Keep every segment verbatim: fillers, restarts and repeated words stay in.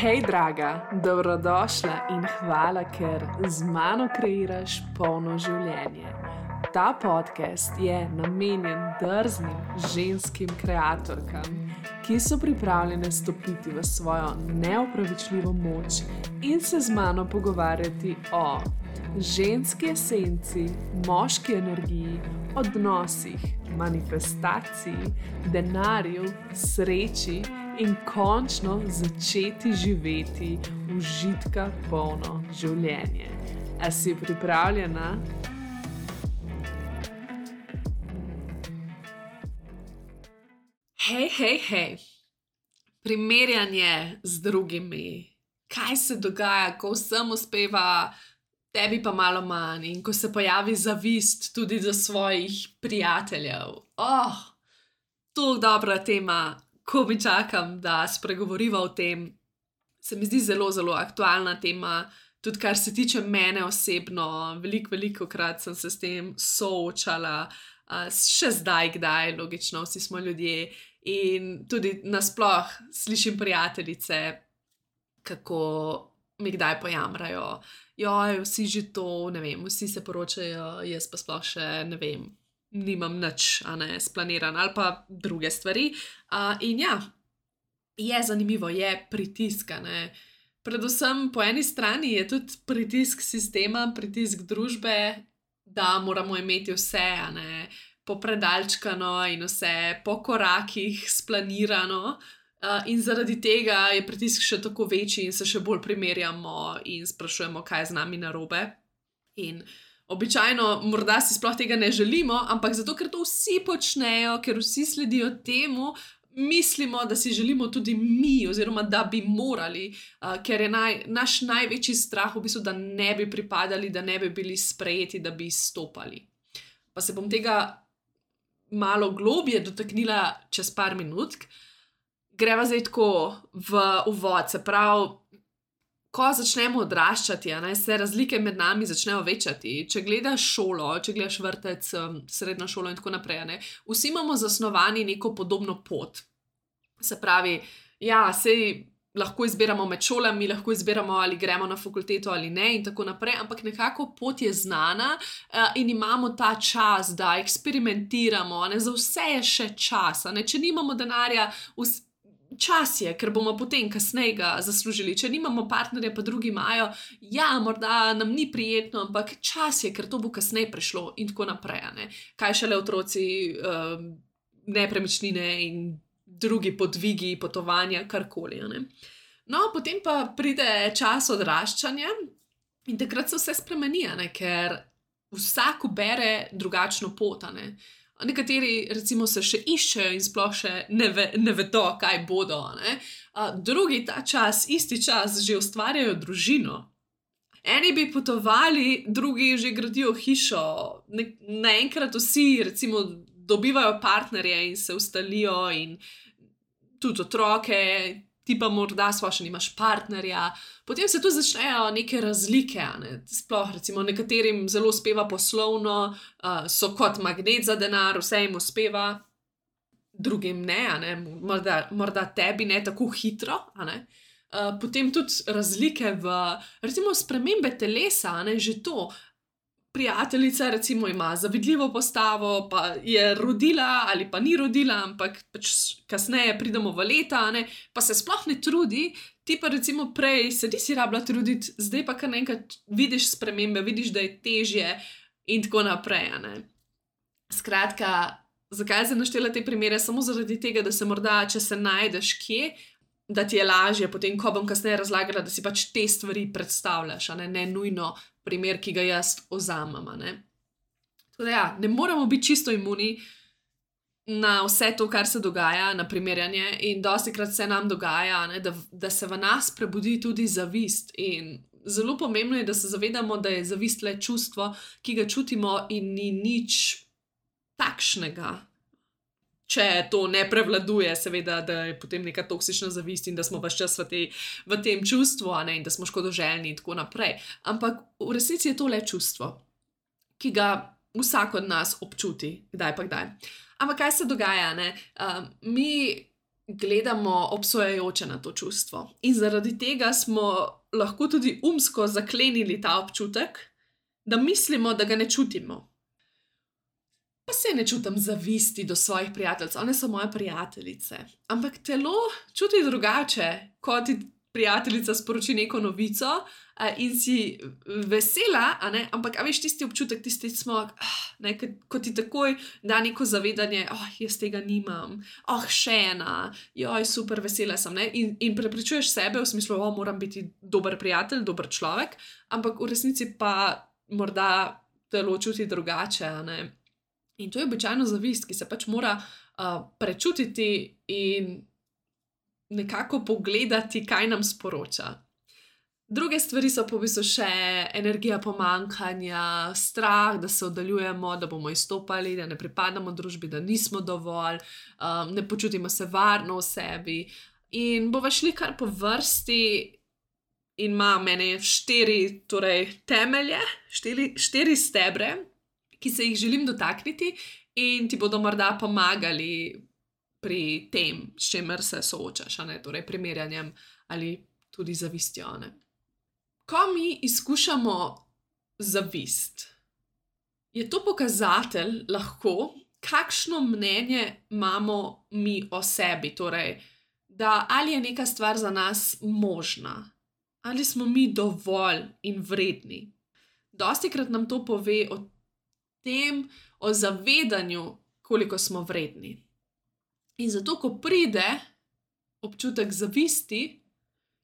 Hej, draga, dobrodošla in hvala, ker z mano kreiraš polno življenje. Ta podcast je namenjen drznim ženskim kreatorkam, ki so pripravljene stopiti v svojo neopravičljivo moč in se z mano pogovarjati o ženski esenci, moški energiji, odnosih, manifestaciji, denarju, sreči in končno začeti živeti užitka polno življenje. A si pripravljena? Hej, hej, hej. Primerjanje z drugimi. Kaj se dogaja, ko vsem uspeva, tebi pa malo manj, in ko se pojavi zavist tudi do svojih prijateljev. Oh, to dobra tema. Ko mi čakam, da spregovoriva o tem, se mi zdi zelo, zelo aktualna tema, tudi kar se tiče mene osebno. Veliko, veliko krat sem se s tem soočala, še zdaj, kdaj, logično, vsi smo ljudje. In tudi nasploh slišim prijateljice, kako mi kdaj pojamrajo. Joj, vsi že to, ne vem, vsi se poročajo, jaz pa sploh še, ne vem, nimam nič, a ne, splaniran ali pa druge stvari. Uh, in ja, je zanimivo, je pritisk, a ne. Predvsem po eni strani je tudi pritisk sistema, pritisk družbe, da moramo imeti vse, a ne, popredalčkano in vse po korakih splanirano. Uh, in zaradi tega je pritisk še tako večji in se še bolj primerjamo in sprašujemo, kaj je z nami narobe. In običajno morda si sploh tega ne želimo, ampak zato, ker to vsi počnejo, ker vsi sledijo temu, mislimo, da si želimo tudi mi, oziroma da bi morali, uh, ker je naj, naš največji strah v bistvu, da ne bi pripadali, da ne bi bili sprejeti, da bi izstopali. Pa se bom tega malo globje dotaknila čez par minutk. Greva zdaj tako v uvod, se pravi, ko začnemo odraščati, a ne, se razlike med nami začnejo večati. Če gledaš šolo, če gledaš vrtec, srednjo šolo in tako naprej, a ne, vsi imamo zasnovani neko podobno pot. Se pravi, ja, sej lahko izbiramo med šolami, lahko izbiramo, ali gremo na fakulteto ali ne in tako naprej, ampak nekako pot je znana uh, in imamo ta čas, da eksperimentiramo, a ne, za vse je še čas, a ne, če nimamo denarja, vs- čas je, ker bomo potem kasneje ga zaslužili. Če nimamo partnerja, pa drugi imajo, ja, morda nam ni prijetno, ampak čas je, ker to bo kasneje prišlo in tako naprej, a ne. Kaj šele otroci, uh, nepremičnine in drugi podvigi, potovanja, karkoli, a ne. No, potem pa pride čas odraščanja in takrat se vse spremeni, a ne, ker vsak ubere drugačno pot, a ne. Nekateri recimo se še iščejo in sploh še ne, ve, ne vedo, kaj bodo, ne. A, drugi ta čas, isti čas, že ustvarjajo družino. Eni bi potovali, drugi že gradijo hišo. Ne, naenkrat vsi recimo dobivajo partnerje in se ustalijo in tudi otroke, ti pa morda sploh še nimaš partnerja. Potem se tu začnejo neke razlike, a ne. Sploh recimo nekaterim zelo uspeva poslovno, uh, so kot magnet za denar, vse jim uspeva, drugim ne, a ne, morda, morda tebi ne tako hitro, a ne. Uh, potem tudi razlike v, recimo, spremembe telesa, a ne, že to. Prijateljica recimo ima zavidljivo postavo, pa je rodila ali pa ni rodila, ampak pač kasneje pridemo v leta, a ne, pa se sploh ne trudi, ti pa recimo prej se nisi rabila truditi, zdaj pa kar naenkrat vidiš spremembe, vidiš, da je težje in tako naprej, a ne. Skratka, zakaj sem naštela te primere? Samo zaradi tega, da se morda, če se najdeš kje, da ti je lažje potem, ko bom kasneje razlagala, da si pač te stvari predstavljaš, a ne, ne nujno primer, ki ga jaz vzamem, a ne. Tako da ja, ne moramo biti čisto imuni na vse to, kar se dogaja, na primerjanje, in dostikrat se nam dogaja, ne, da, da se v nas prebudi tudi zavist. In zelo pomembno je, da se zavedamo, da je zavist le čustvo, ki ga čutimo in ni nič takšnega. Če to ne prevladuje, seveda, da je potem neka toksična zavist in da smo ves čas v, te, v tem čustvu, a ne, in da smo škodoželjni in tako naprej. Ampak v resnici je to le čustvo, ki ga vsak od nas občuti, kdaj pa kdaj. Ampak kaj se dogaja, ne? Uh, mi gledamo obsojajoče na to čustvo. In zaradi tega smo lahko tudi umsko zaklenili ta občutek, da mislimo, da ga ne čutimo. Pa se ne čutim zavisti do svojih prijateljev, one so moje prijateljice. Ampak telo čuti drugače, ko ti prijateljica sporoči neko novico in si vesela, a ne? Ampak a veš tisti občutek, tisti smog, ne, ko ti takoj da neko zavedanje, oh, jaz tega nimam, oh, še ena, joj, super, vesela sem, ne? In, in prepričuješ sebe v smislu, oh, moram biti dober prijatelj, dober človek, ampak v resnici pa morda telo čuti drugače, a ne? In to je običajno zavist, ki se pač mora uh, prečutiti in nekako pogledati, kaj nam sporoča. Druge stvari so pa v bistvu še energija pomanjkanja, strah, da se oddaljujemo, da bomo izstopali, da ne pripadamo družbi, da nismo dovolj, um, ne počutimo se varno v sebi. In bova šli kar po vrsti in ima mene štiri torej, temelje, štiri, štiri stebre, ki se jih želim dotakniti in ti bodo morda pomagali pri tem, s čemer se soočaš, a ne, torej primerjanjem ali tudi zavistjo, ne. Ko mi izkušamo zavist, je to pokazatelj lahko, kakšno mnenje imamo mi o sebi, torej, da ali je neka stvar za nas možna, ali smo mi dovolj in vredni. Dostikrat nam to pove o tem, o zavedanju, koliko smo vredni. In zato, ko pride občutek zavisti,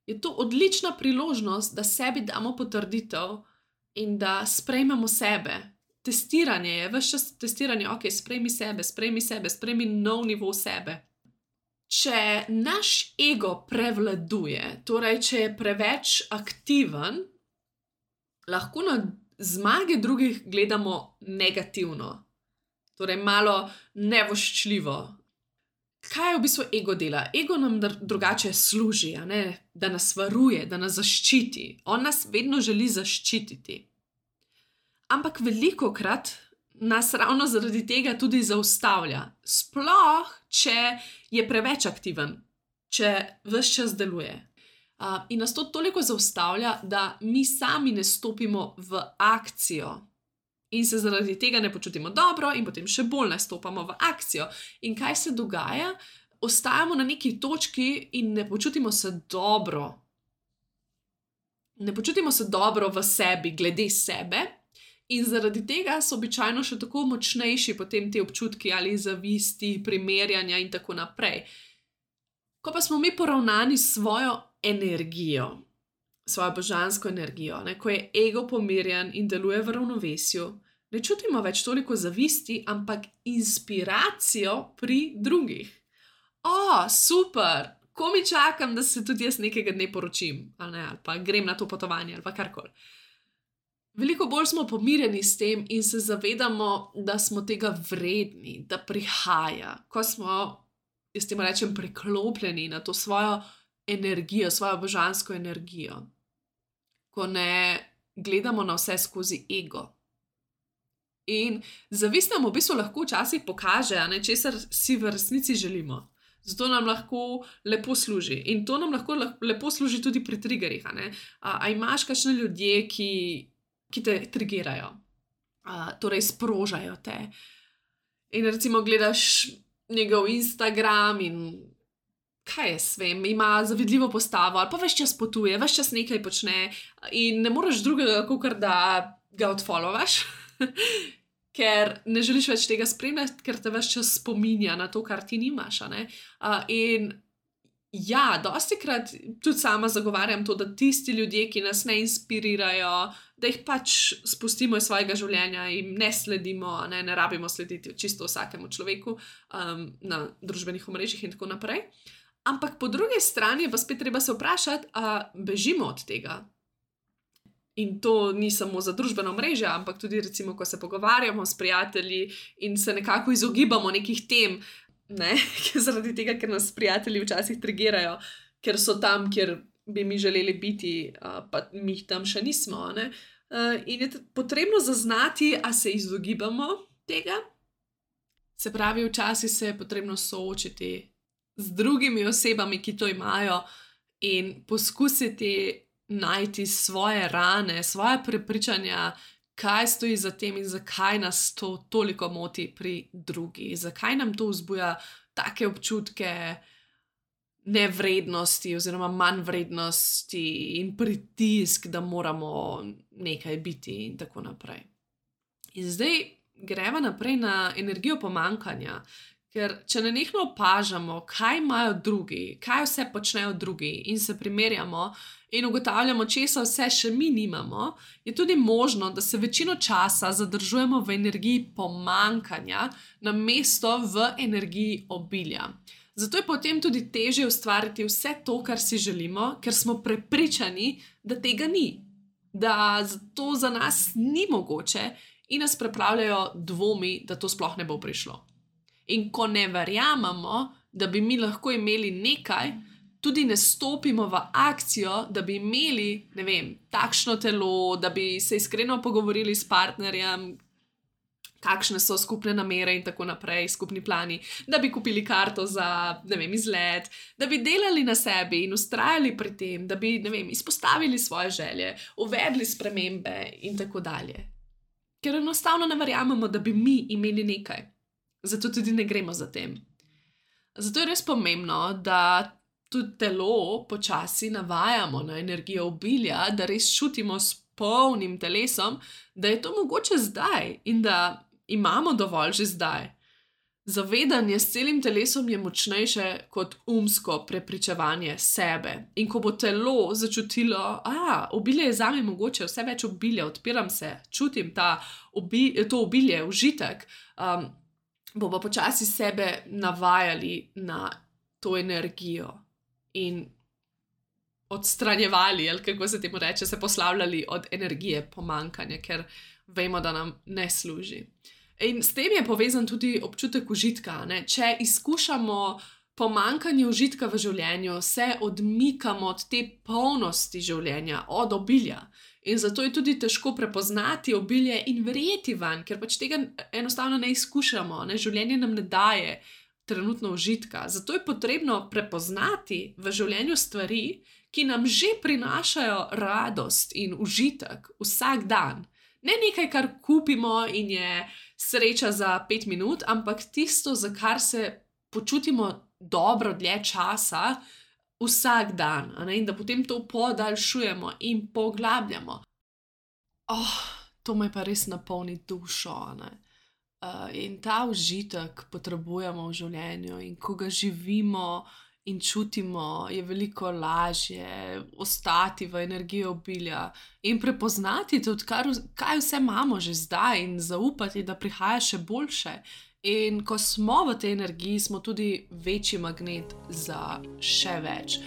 je to odlična priložnost, da sebi damo potrditev in da sprejmemo sebe. Testiranje je, ves čas testiranje, ok, sprejmi sebe, sprejmi sebe, sprejmi nov nivo sebe. Če naš ego prevladuje, torej, če je preveč aktiven, lahko na zmage drugih gledamo negativno, torej malo nevoščljivo. Kaj je v bistvu ego dela? Ego nam drugače služi, a ne? Da nas varuje, da nas zaščiti. On nas vedno želi zaščititi. Ampak velikokrat nas ravno zaradi tega tudi zaustavlja. Sploh, če je preveč aktiven, če ves čas deluje. Uh, in nas to toliko zaustavlja, da mi sami ne stopimo v akcijo in se zaradi tega ne počutimo dobro in potem še bolj ne stopamo v akcijo. In kaj se dogaja? Ostajamo na neki točki in ne počutimo se dobro. Ne počutimo se dobro v sebi, glede sebe in zaradi tega so običajno še tako močnejši potem te občutki ali zavisti, primerjanja in tako naprej. Ko pa smo mi poravnani s svojo energijo, svojo božansko energijo, ne, ko je ego pomirjen in deluje v ravnovesju, ne čutimo več toliko zavisti, ampak inspiracijo pri drugih. O, super, ko mi čakam, da se tudi jaz nekega dne poročim, ali, ne, ali pa grem na to potovanje, ali pa karkoli. Veliko bolj smo pomirjeni s tem in se zavedamo, da smo tega vredni, da prihaja, ko smo, jaz temu rečem, priklopljeni na to svojo energijo, svojo božansko energijo. Ko ne gledamo na vse skozi ego. In zavist nam v bistvu lahko včasih pokaže, a ne, česar si v resnici želimo. Zato nam lahko lepo služi. In to nam lahko lepo služi tudi pri triggerjih, a ne. A, a imaš kakšne ljudje, ki, ki te trigerajo, a, torej sprožajo te. In recimo gledaš njegov Instagram in kaj jaz vem, ima zavidljivo postavo ali pa ves čas potuje, ves čas nekaj počne in ne moreš drugega, kakor da ga odfollowaš, ker ne želiš več tega spremljati, ker te ves čas spominja na to, kar ti nimaš, a ne. Uh, in ja, dostikrat tudi sama zagovarjam to, da tisti ljudje, ki nas ne inspirirajo, da jih pač spustimo iz svojega življenja in ne sledimo, ne, ne rabimo slediti čisto vsakemu človeku um, na družbenih omrežjih in tako naprej. Ampak po drugi strani pa spet treba se vprašati, a bežimo od tega. In to ni samo za družbeno mrežo, ampak tudi recimo, ko se pogovarjamo s prijatelji in se nekako izogibamo nekih tem, ne, zaradi tega, ker nas prijatelji včasih trigerajo, ker so tam, kjer bi mi želeli biti, pa mi tam še nismo, ne. In je potrebno zaznati, a se izogibamo tega. Se pravi, včasih se je potrebno soočiti z drugimi osebami, ki to imajo, in poskusiti najti svoje rane, svoje prepričanja, kaj stoji za tem in zakaj nas to toliko moti pri drugih, zakaj nam to vzbuja take občutke nevrednosti oziroma manj vrednosti in pritisk, da moramo nekaj biti in tako naprej. In zdaj greva naprej na energijo pomanjkanja, ker če nenehno opažamo, kaj imajo drugi, kaj vse počnejo drugi in se primerjamo in ugotavljamo, česa vse še mi nimamo, je tudi možno, da se večino časa zadržujemo v energiji pomanjkanja namesto v energiji obilja. Zato je potem tudi težje ustvariti vse to, kar si želimo, ker smo prepričani, da tega ni, da to za nas ni mogoče in nas preplavljajo dvomi, da to sploh ne bo prišlo. In ko ne verjamemo, da bi mi lahko imeli nekaj, tudi ne stopimo v akcijo, da bi imeli, ne vem, takšno telo, da bi se iskreno pogovorili s partnerjem, kakšne so skupne namere in tako naprej, skupni plani, da bi kupili karto za, ne vem, izlet, da bi delali na sebi in vztrajali pri tem, da bi, ne vem, izpostavili svoje želje, uvedli spremembe in tako dalje. Ker enostavno ne verjamemo, da bi mi imeli nekaj. Zato tudi ne gremo za tem. Zato je res pomembno, da tudi telo počasi navajamo na energijo obilja, da res čutimo s polnim telesom, da je to mogoče zdaj in da imamo dovolj že zdaj. Zavedanje s celim telesom je močnejše kot umsko prepričevanje sebe. In ko bo telo začutilo, a, obilje je zame mogoče, vse več obilja, odpiram se, čutim ta obi, to obilje, užitek, um, bomo počasi sebe navajali na to energijo in odstranjevali, ali kako se temu reče, se poslavljali od energije pomanjkanja, ker vemo, da nam ne služi. In s tem je povezan tudi občutek užitka, ne? Če izkušamo pomanjkanje užitka v življenju, se odmikamo od te polnosti življenja, od obilja. In zato je tudi težko prepoznati obilje in verjeti vanj, ker pač tega enostavno ne izkušamo, ne? Življenje nam ne daje trenutno užitka. Zato je potrebno prepoznati v življenju stvari, ki nam že prinašajo radost in užitek vsak dan. Ne nekaj, kar kupimo in je sreča za pet minut, ampak tisto, za kar se počutimo dobro dlje časa, vsak dan, a ne? In da potem to podaljšujemo in poglabljamo. Oh, to me pa res napolni dušo, a ne? Uh, in ta užitek potrebujemo v življenju in ko ga živimo in čutimo, je veliko lažje ostati v energiji obilja in prepoznati tudi, kar, kaj vse imamo že zdaj in zaupati, da prihaja še boljše. In ko smo v tej energiji, smo tudi večji magnet za še več.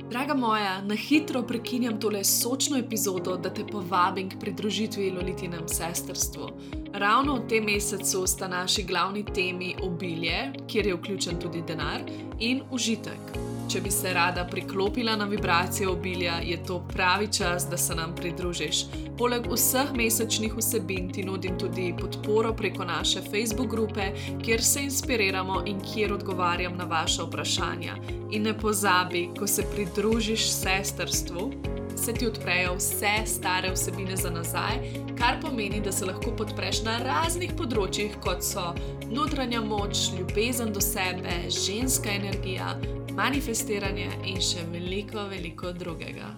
Draga moja, na hitro prekinjam tole sočno epizodo, da te povabim k pridružitvi Lolitinem sestrstvu. Ravno v tem mesecu sta naši glavni temi obilje, kjer je vključen tudi denar, in užitek. Če bi se rada priklopila na vibracijo obilja, je to pravi čas, da se nam pridružiš. Poleg vseh mesečnih vsebin ti nudim tudi podporo preko naše Facebook grupe, kjer se inspiriramo in kjer odgovarjam na vaša vprašanja. In ne pozabi, ko se pridružiš sestrstvu, se ti odprejo vse stare vsebine za nazaj, kar pomeni, da se lahko podpreš na raznih področjih, kot so notranja moč, ljubezen do sebe, ženska energija, manifestiranje in še veliko, veliko drugega.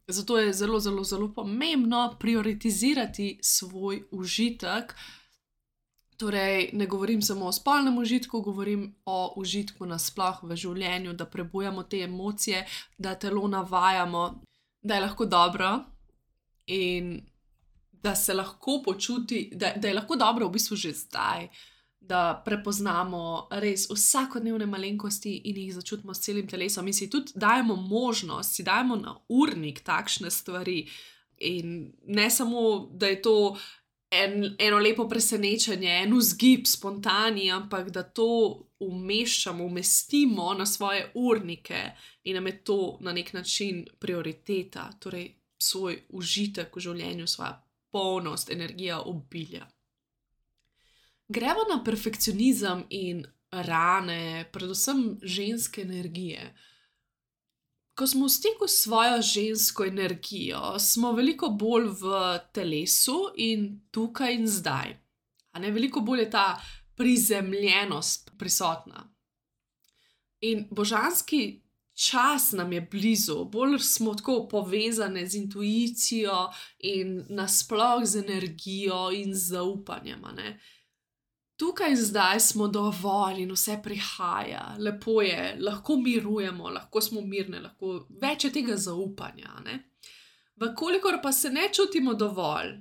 Zato je zelo, zelo, zelo pomembno prioritizirati svoj užitek. Torej, ne govorim samo o spolnem užitku, govorim o užitku nasploh v življenju, da prebujamo te emocije, da telo navajamo, da je lahko dobro in da se lahko počuti, da, da je lahko dobro v bistvu že zdaj, da prepoznamo res vsakodnevne malenkosti in jih začutimo s celim telesom in si tudi dajemo možnost, si dajemo na urnik takšne stvari in ne samo, da je to En, eno lepo presenečenje, en vzgib, spontani, ampak da to umeščamo, umestimo na svoje urnike in nam je to na nek način prioriteta, torej svoj užitek v življenju, svoja polnost, energija, obilja. Gremo na perfekcionizem in rane, predvsem ženske energije. Ko smo v stiku s svojo žensko energijo, smo veliko bolj v telesu in tukaj in zdaj. A ne, veliko bolj je ta prizemljenost prisotna. In božanski čas nam je blizu, bolj smo tako povezane z intuicijo in nasploh z energijo in zaupanjem. a Ne? Tukaj in zdaj smo dovolj in vse prihaja, lepo je, lahko mirujemo, lahko smo mirne, lahko več je tega zaupanja. a Ne? Vkolikor pa se ne čutimo dovolj,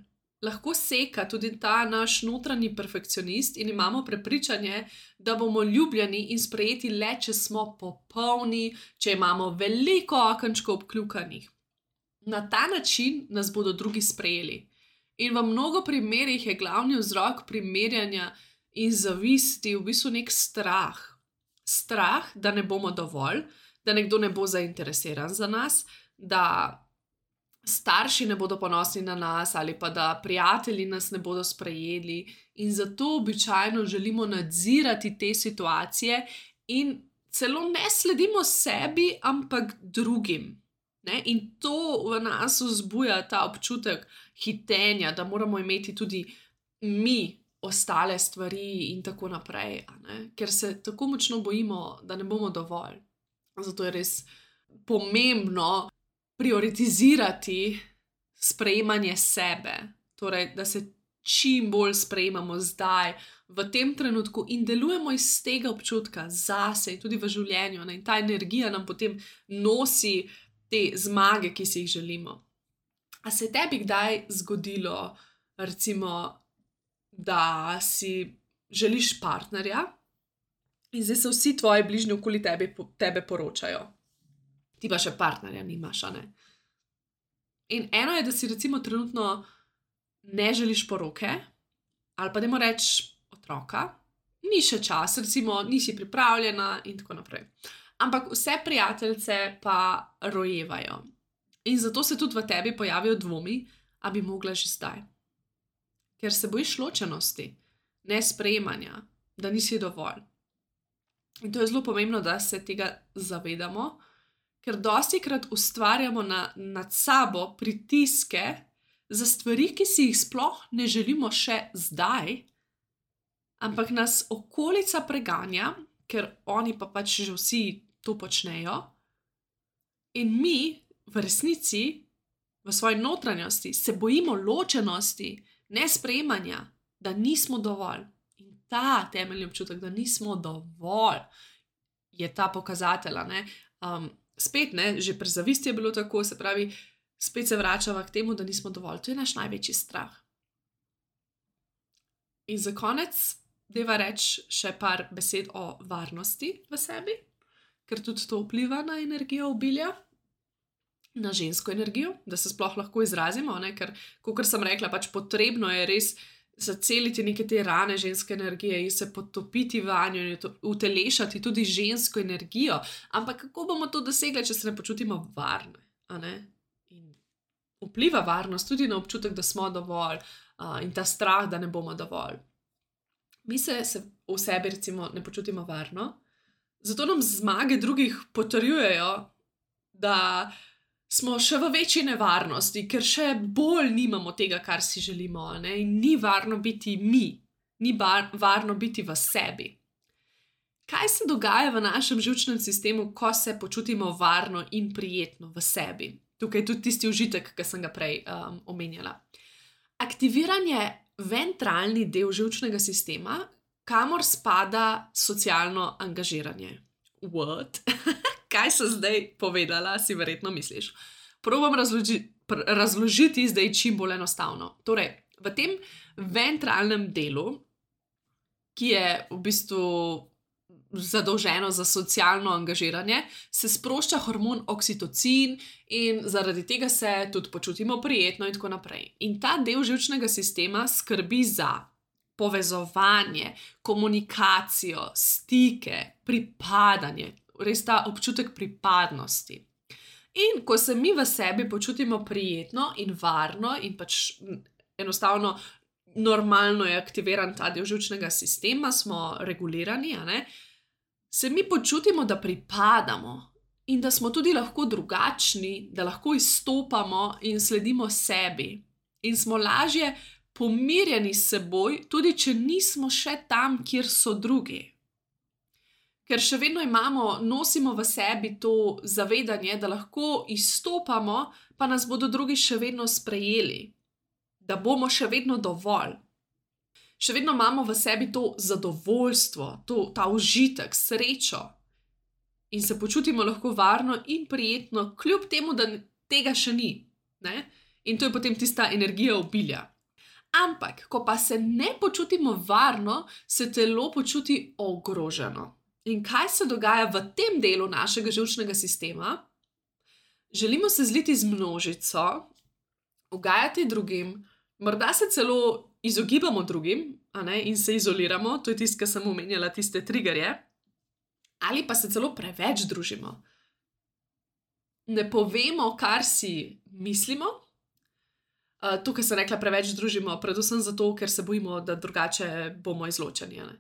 lahko seka tudi ta naš notranji perfekcionist in imamo prepričanje, da bomo ljubljeni in sprejeti le, če smo popolni, če imamo veliko okenčkov obkljukanih. Na ta način nas bodo drugi sprejeli. In v mnogo primerih je glavni vzrok primerjanja in zavisti v bistvu nek strah. Strah, da ne bomo dovolj, da nekdo ne bo zainteresiran za nas, da starši ne bodo ponosni na nas ali pa da prijatelji nas ne bodo sprejeli, in zato običajno želimo nadzirati te situacije in celo ne sledimo sebi, ampak drugim. Ne? In to v nas vzbuja ta občutek hitenja, da moramo imeti tudi mi ostale stvari in tako naprej, a ne? Ker se tako močno bojimo, da ne bomo dovolj. Zato je res pomembno prioritizirati sprejemanje sebe, torej da se čim bolj sprejemamo zdaj, v tem trenutku in delujemo iz tega občutka zase in tudi v življenju. Ne? In ta energija nam potem nosi te zmage, ki si jih želimo. A se je tebi kdaj zgodilo, recimo, da si želiš partnerja in zdaj se vsi tvoji bližnji okoli tebe, tebe poročajo? Ti pa še partnerja nimaš, a ne? In eno je, da si recimo trenutno ne želiš poroke, ali pa dajmo reči otroka, ni še čas, recimo nisi pripravljena in tako naprej. Ampak vse prijateljice pa rojevajo. In zato se tudi v tebi pojavijo dvomi, a bi mogla že zdaj. Ker se bojiš ločenosti, nesprejemanja, da nisi dovolj. In to je zelo pomembno, da se tega zavedamo, ker dostikrat ustvarjamo na, nad sabo pritiske za stvari, ki si jih sploh ne želimo še zdaj, ampak nas okolica preganja, ker oni pa pač že vsi to počnejo, in mi v resnici, v svoji notranjosti, se bojimo ločenosti, nesprejemanja, da nismo dovolj. In ta temeljni občutek, da nismo dovolj, je ta pokazatelj, ne? Um, spet, ne, že pri zavisti je bilo tako, se pravi, spet se vračava k temu, da nismo dovolj. To je naš največji strah. In za konec deva reči še par besed o varnosti v sebi, ker tudi to vpliva na energijo obilja, na žensko energijo, da se sploh lahko izrazimo, ne? Ker, kakor sem rekla, pač potrebno je res zaceliti neke te rane ženske energije in se potopiti vanjo in utelešati tudi žensko energijo. Ampak kako bomo to dosegli, če se ne počutimo varne? A ne? In vpliva varnost tudi na občutek, da smo dovolj, uh, in ta strah, da ne bomo dovolj. Mi se, se v sebi recimo ne počutimo varno, zato nam zmage drugih potrjujejo, da smo še v večji nevarnosti, ker še bolj nimamo tega, kar si želimo, ne? In ni varno biti mi, ni bar, varno biti v sebi. Kaj se dogaja v našem živčnem sistemu, ko se počutimo varno in prijetno v sebi? Tukaj je tudi tisti užitek, ki sem ga prej um, omenjala. Aktiviran je ventralni del živčnega sistema, kamor spada socialno angažiranje. What? Kaj sem zdaj povedala, si verjetno misliš. Probam razloži, pr, razložiti zdaj čim bolj enostavno. Torej, v tem ventralnem delu, ki je v bistvu zadolženo za socialno angažiranje, se sprošča hormon oksitocin in zaradi tega se tudi počutimo prijetno in tako naprej. In ta del živčnega sistema skrbi za povezovanje, komunikacijo, stike, pripadanje, res ta občutek pripadnosti. In ko se mi v sebi počutimo prijetno in varno in pač enostavno normalno je aktiviran ta del živčnega sistema, smo regulirani, a ne, se mi počutimo, da pripadamo in da smo tudi lahko drugačni, da lahko izstopamo in sledimo sebi. In smo lažje pomirjeni s seboj, tudi če nismo še tam, kjer so drugi. Ker še vedno imamo, nosimo v sebi to zavedanje, da lahko izstopamo, pa nas bodo drugi še vedno sprejeli. Da bomo še vedno dovolj. Še vedno imamo v sebi to zadovoljstvo, to, ta užitek, srečo. In se počutimo lahko varno in prijetno, kljub temu, da tega še ni. Ne? In to je potem tista energija obilja. Ampak, ko pa se ne počutimo varno, se telo počuti ogroženo. In kaj se dogaja v tem delu našega živčnega sistema? Želimo se zliti z množico, ugajati drugim, morda se celo izogibamo drugim, a ne, in se izoliramo, to je tisto, kar sem omenjala, tiste triggerje, ali pa se celo preveč družimo. Ne povemo, kar si mislimo. Uh, tukaj sem rekla, preveč družimo, predvsem zato, ker se bojimo, da drugače bomo izločeni. Ne?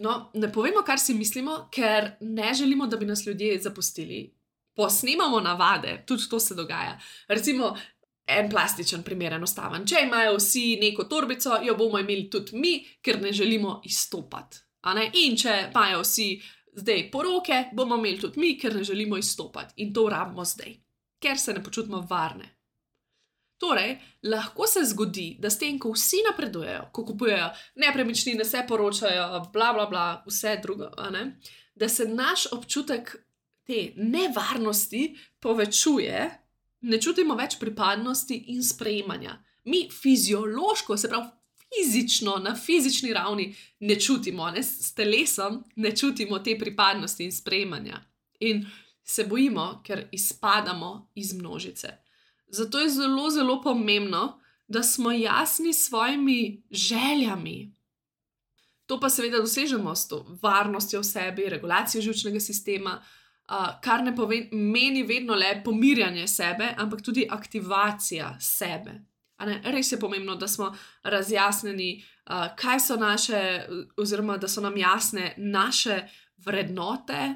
No, ne povemo, kar si mislimo, ker ne želimo, da bi nas ljudje zapustili. Posnemamo navade, tudi to se dogaja. Recimo, en plastičen primer, enostaven. Če imajo vsi neko torbico, jo bomo imeli tudi mi, ker ne želimo izstopati. A ne? In če imajo vsi zdaj poroke, bomo imeli tudi mi, ker ne želimo izstopati. In to rabimo zdaj, ker se ne počutimo varne. Torej, lahko se zgodi, da s tem, ko vsi napredujejo, ko kupujejo nepremičnine, se poročajo, bla, bla, bla, vse drugo, a ne, da se naš občutek te nevarnosti povečuje, ne čutimo več pripadnosti in sprejemanja. Mi fiziološko, se pravi fizično, na fizični ravni ne čutimo, ne, s telesom ne čutimo te pripadnosti in sprejemanja. In se bojimo, ker izpadamo iz množice. Zato je zelo, zelo pomembno, da smo jasni s svojimi željami. To pa seveda dosežemo s to varnostjo v sebi, regulacijo živčnega sistema, kar ne pomeni vedno le pomirjanje sebe, ampak tudi aktivacija sebe. A ne, res je pomembno, da smo razjasnjeni, kaj so naše, oziroma da so nam jasne naše vrednote,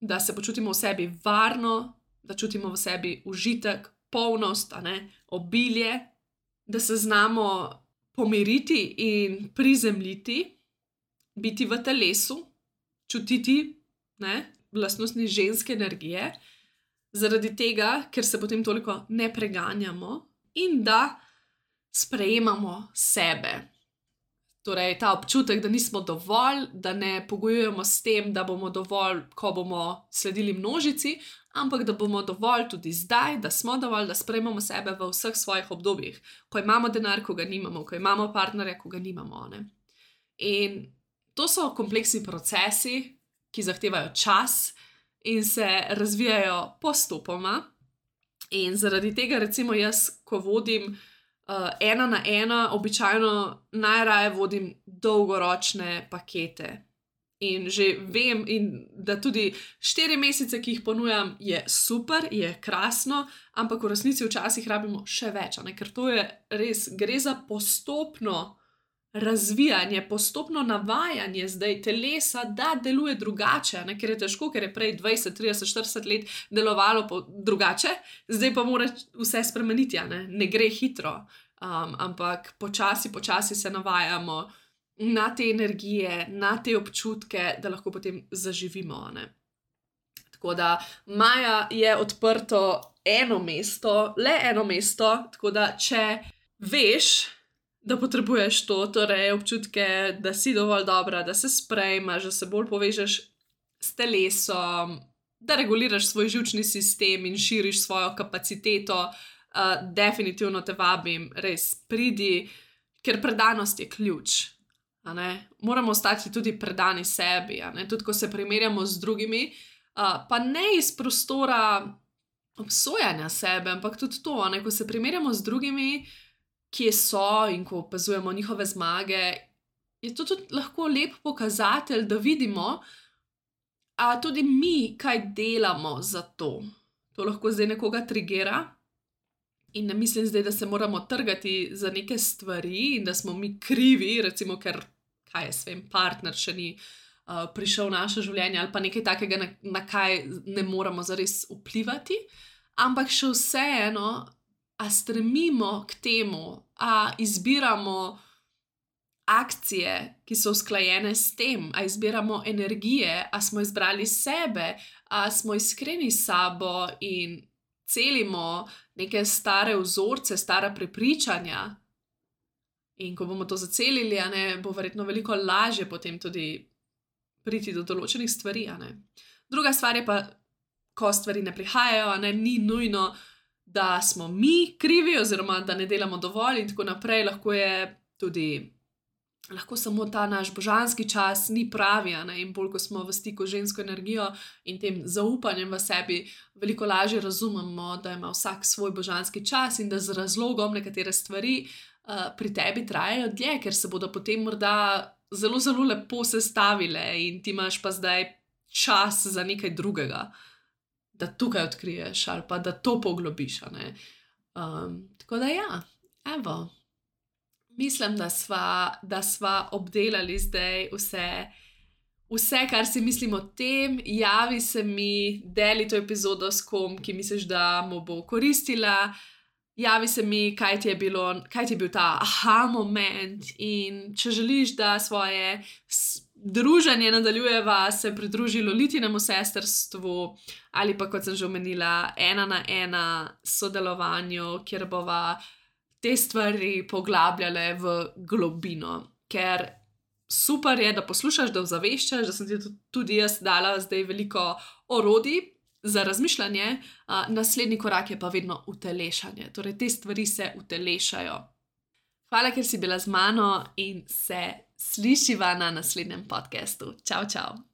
da se počutimo v sebi varno, da čutimo v sebi užitek, polnost, a ne, obilje, da se znamo pomiriti in prizemljiti, biti v telesu, čutiti, ne, lastnosti ženske energije, zaradi tega, ker se potem toliko ne preganjamo in da sprejemamo sebe. Torej, ta občutek, da nismo dovolj, da ne pogojujemo s tem, da bomo dovolj, ko bomo sledili množici, ampak da bomo dovolj tudi zdaj, da smo dovolj, da sprejmemo sebe v vseh svojih obdobjih, ko imamo denar, ko ga nimamo, ko imamo partnerja, ko ga nimamo. Ne? In to so kompleksni procesi, ki zahtevajo čas in se razvijajo postopoma. In zaradi tega, recimo jaz, ko vodim uh, ena na ena, običajno najraje vodim dolgoročne pakete. In že vem, in da tudi štiri mesece, ki jih ponujam, je super, je krasno, ampak v resnici včasih rabimo še več, ne? Ker to je res, gre za postopno razvijanje, postopno navajanje zdaj telesa, da deluje drugače, ne? Ker je težko, ker je prej dvajset, trideset, štirideset let delovalo po drugače, zdaj pa mora vse spremeniti, ne, ne gre hitro, um, ampak počasi, počasi se navajamo na te energije, na te občutke, da lahko potem zaživimo. Ne? Tako da maja je odprto eno mesto, le eno mesto, tako da če veš, da potrebuješ to, torej občutke, da si dovolj dobra, da se sprejmaš, da se bolj povežeš s telesom, da reguliraš svoj živčni sistem in širiš svojo kapaciteto, uh, definitivno te vabim, res pridi, ker predanost je ključ. A ne? Moramo ostati tudi predani sebi, a ne? Tudi ko se primerjamo z drugimi, uh, pa ne iz prostora obsojanja sebe, ampak tudi to, a ne? Ko se primerjamo z drugimi, kje so in ko opazujemo njihove zmage, je to tudi lahko lep pokazatelj, da vidimo, a tudi mi kaj delamo za to. To lahko zdaj nekoga trigira, In ne mislim zdaj, da se moramo trgati za neke stvari in da smo mi krivi, recimo, ker, kaj jaz vem, partner še ni uh, prišel v naše življenje ali pa nekaj takega, na, na kaj ne moramo zares vplivati, ampak še vseeno, a stremimo k temu, a izbiramo akcije, ki so usklajene s tem, a izbiramo energije, a smo izbrali sebe, a smo iskreni s sabo in celimo neke stare vzorce, stara prepričanja. In ko bomo to zacelili, a ne, bo verjetno veliko lažje potem tudi priti do določenih stvari, a ne. Druga stvar je pa, ko stvari ne prihajajo, a ne, ni nujno, da smo mi krivi oziroma da ne delamo dovolj in tako naprej, lahko je tudi lahko samo ta naš božanski čas ni pravi, a ne, in bolj, ko smo v stiku z žensko energijo in tem zaupanjem v sebi, veliko lažje razumemo, da ima vsak svoj božanski čas in da z razlogom nekatere stvari uh, pri tebi trajajo dlje, ker se bodo potem morda zelo, zelo lepo sestavile in ti imaš pa zdaj čas za nekaj drugega, da tukaj odkriješ ali pa da to poglobiš, a ne. Um, tako da ja, evo. Mislim, da sva, da sva obdelali zdaj vse, vse, kar si mislim o tem. Javi se mi, deli to epizodo s kom, ki misliš, da mu bo koristila. Javi se mi, kaj ti je bilo, kaj ti je bil ta aha moment in če želiš, da svoje druženje nadaljujeva, se pridruži Lolitinemu sestrstvu ali pa, kot sem že omenila, ena na ena sodelovanju, kjer bova te stvari poglabljale v globino, ker super je, da poslušaš, da ozaveščaš, da sem ti tudi jaz dala zdaj veliko orodij za razmišljanje, a, naslednji korak je pa vedno utelešanje, torej te stvari se utelešajo. Hvala, ker si bila z mano in se slišiva na naslednjem podcastu. Čau, čau!